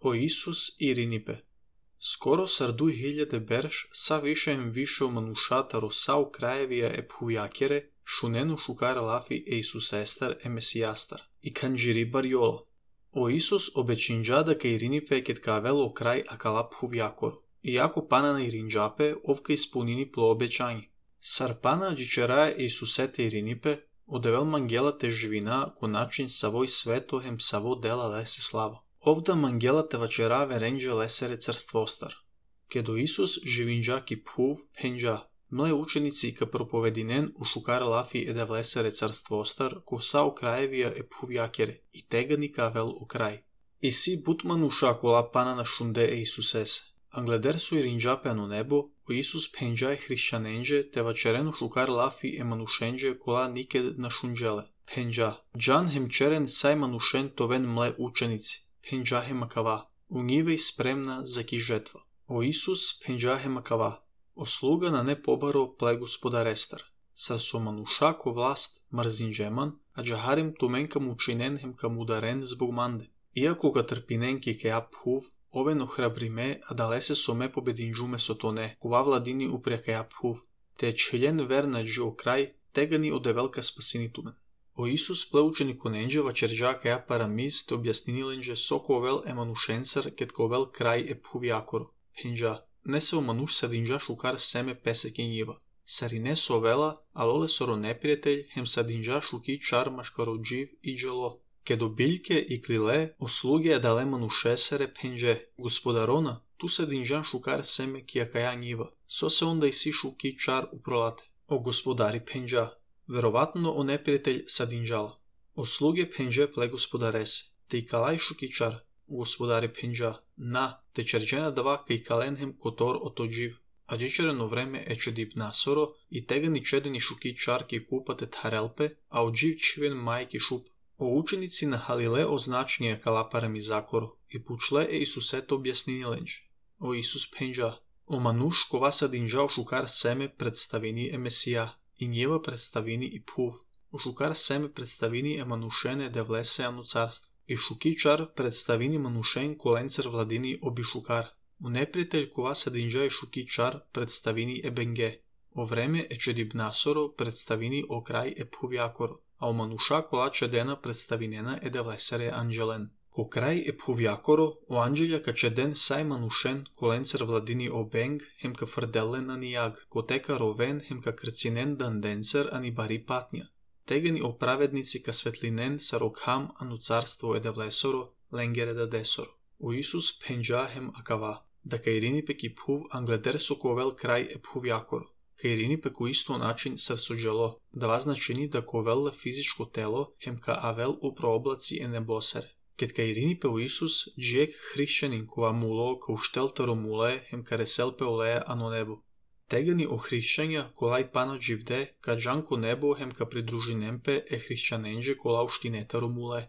O Исус Иринипе. Скоро сар 2000 берш, са вишеем вишел манушатаро сау краевија епхувјакере, шунено шукар лафи е Исусестар е Месијастар, и канџири барјола. O Isus обечинџа дека Иринипе кет кавело крај акалап хувјакор, иако пана на Иринџапе овка исполнини пло обеќање. Сар пана джичерае Исусете Иринипе, одевел мангелате живина ко начин савој свето хем саво дела лесе слава. Овда мангелате вачераве ренџе лесере црствостар. Кедо Исус живинџа ки пхув пенџа, мле ученици ка проповединен у шукар лафи еде влесере црствостар ко сао краевија е пхувјакере, и тегани кавел о крај. И си бутман уша кола пана на шунде е Исусесе. Англедер со Иринџапе ано небо, о Исус пенџа е хришќаненџе, те вачерено шукар лафи е манушенџе кола никед на шунџеле. Пенџа. Джан хем черен сај манушен товен мле ученици. Пенџахе макава, унивеј спремна за ки жетва. О Исус пенџахе макава, ослуга на не побаро пле господарестар. Сар со мануша ко власт мрзинџеман, а джахарим тумен кам учинен хем кам ударен због манде. Иако ка трпинен ки ке апхув, овен охрабриме, а далесе со ме побединџуме со тоне, кова владини упрека апхув, те член верна джо крај, тегани одевелка спасинитумен. O Isus плеучени коненџе вачерџа каја парамиз те објасниниленџе со ковел е манушенцар кет ковел крај е пхувјакор. Пенџа, не се омануш садинџа шукар семе песеке њива. Сари не со вела, алоле соро непријетељ, хем садинџа шуки чар машкароџив и джело. Кедо билјке и клиле, ослуге е дале манушесере пенџе. Господарона, ту садинџа шукар семе кија каја њива. Со се онда и си шуки чар упролате. О господари пенџа, вероватно о непријетељ садинџала. Ослуге пенџе пле господаресе, те и калај шукичар, господари пенџа, на, те черџена дава кај каленхем котор отоџив, а джичерено време е чедип насоро, и тегани чедени шукичар ки купате тарелпе, а оџив чивен мајки шуп. О ученици на Халиле означније калапаре ми закоро, и пучле е Исусето објасниниленџе. О Исус пенџа, о мануш кова садинџа шукар семе представини е Месија, и њева представини и пув. У шукар семе представини е манушене де влесе ано царство. И шукичар представини манушен коленцер владини оби шукар. У непријетељ кова садинџа е шукичар представини е бенге. О време е чедиб насоро представини о крај е пхувјакоро, а о мануша кола чедена представинена е де влесере анџелен. Ко крај е пхувјакоро, о анџелја ка чеден сај манушен коленцер владини о бенг, хем ка фрделен ани јаг, ко тека ровен хем ка крцинен данденцер ани бари патња. Тегани о праведници ка светлинен сарокхам ану царство е де влесоро, ленгере да десоро. О Исус пенџа хем акава, да ка Иринипе ки пхув англедер со ковел крај е пхувјакоро. Ка Иринипе ко исто начин сар со джело, да значени да ковелле физичко тело, хем ка авел у прооблаци е небосере. Кет ка Иринипе о Исус, джиек хришќанин кова муло ка уштелтаро муле, хем ка реселпе олеја ано небо. Тегани о хришќања колај пана дживде, ка джанко небо хем ка придружинемпе е хришќаненџе кола уштинетаро муле.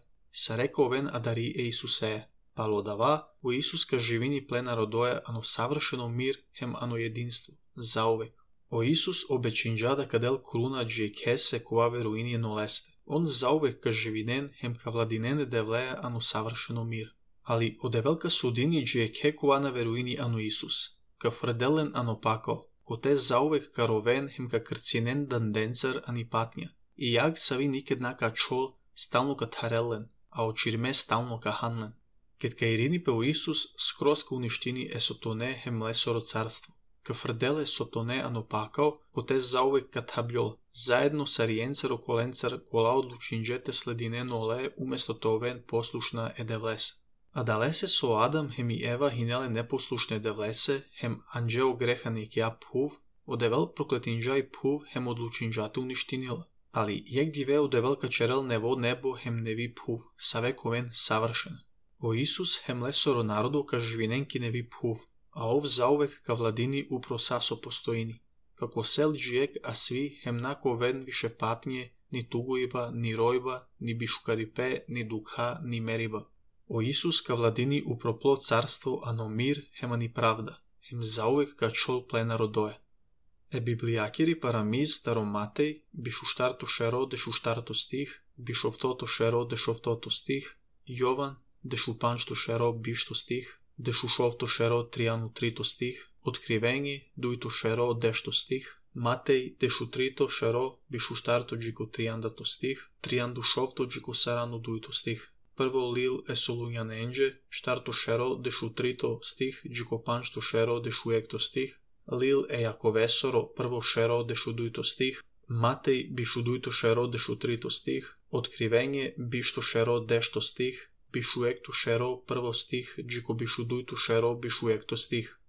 Сарека овен адари е Исусеја. Пало дава, о Исус ка живини плена родоја ано савршено мир хем ано единство, заувек. О Исус обечинџа да кадел круна джиекесе кова веруини е нолесте. Он заувек ка живинен хем ка владинене девлеја ано савршено мир. Али одевелка судини джиеке кова на веруини ано Исус. Ка фределен ано пако, ко те заувек ка ровен хем ка крцинен данденцер ани патња. И јаг сави никедна ка чол, стално ка тарелен, а очирме стално ка ханлен. Кет ка Иринипе о Исус скроз ка уништини е сотоне хем лесоро царство. Ка фрделе сотоне ано пакао, ко те заувек ка таблјол, заедно са риенцер коленцер кола одлучинџете слединено оле уместо товен послушна е девлесе. А далесе со Адам хем и Ева хинеле непослушне девлесе, хем анџео грехани ки апхув, одевел проклетинџа и пхув хем одлучинџате уништинила. Али јек диве одевел ка черел нево небо хем неви пхув, савековен савршен. О Исус хем лесоро народо ка живинен ки неви пхув, а ов заувек ка владини упро сасо постоини. Како сел джиек, а сви хем нако вен више патње, ни тугојба, ни ројба, ни бишукарипе, ни дукха, ни мериба. О Исус ка владини упропло царство, ано мир, хема ни правда, хем заувек ка чол плена родоја. Е библијакири парамиз старо Матеј, бишуштарто шеро дешуштарто стих, бишовтото шеро дешовтото стих, Јован дешу панчто шеро бишто стих, дешу шовто шеро триану трито стих, Откривење дуито шеро дешто стих, Матеј дешу трито шеро бишу штарто джико триандато стих, трианду шовто джико сарану дуито стих. Прво лил е солуњан енџе, штарто шеро дешу трито стих, джико панчто шеро дешу екто стих, лил е јаковесоро прво шеро дешу дуито стих, Матеј бишу дуито шеро дешу трито стих, Откривење бишто шеро дешто стих, бишу екто шеро прво стих, джико бишу дуито шеро бишу екто стих.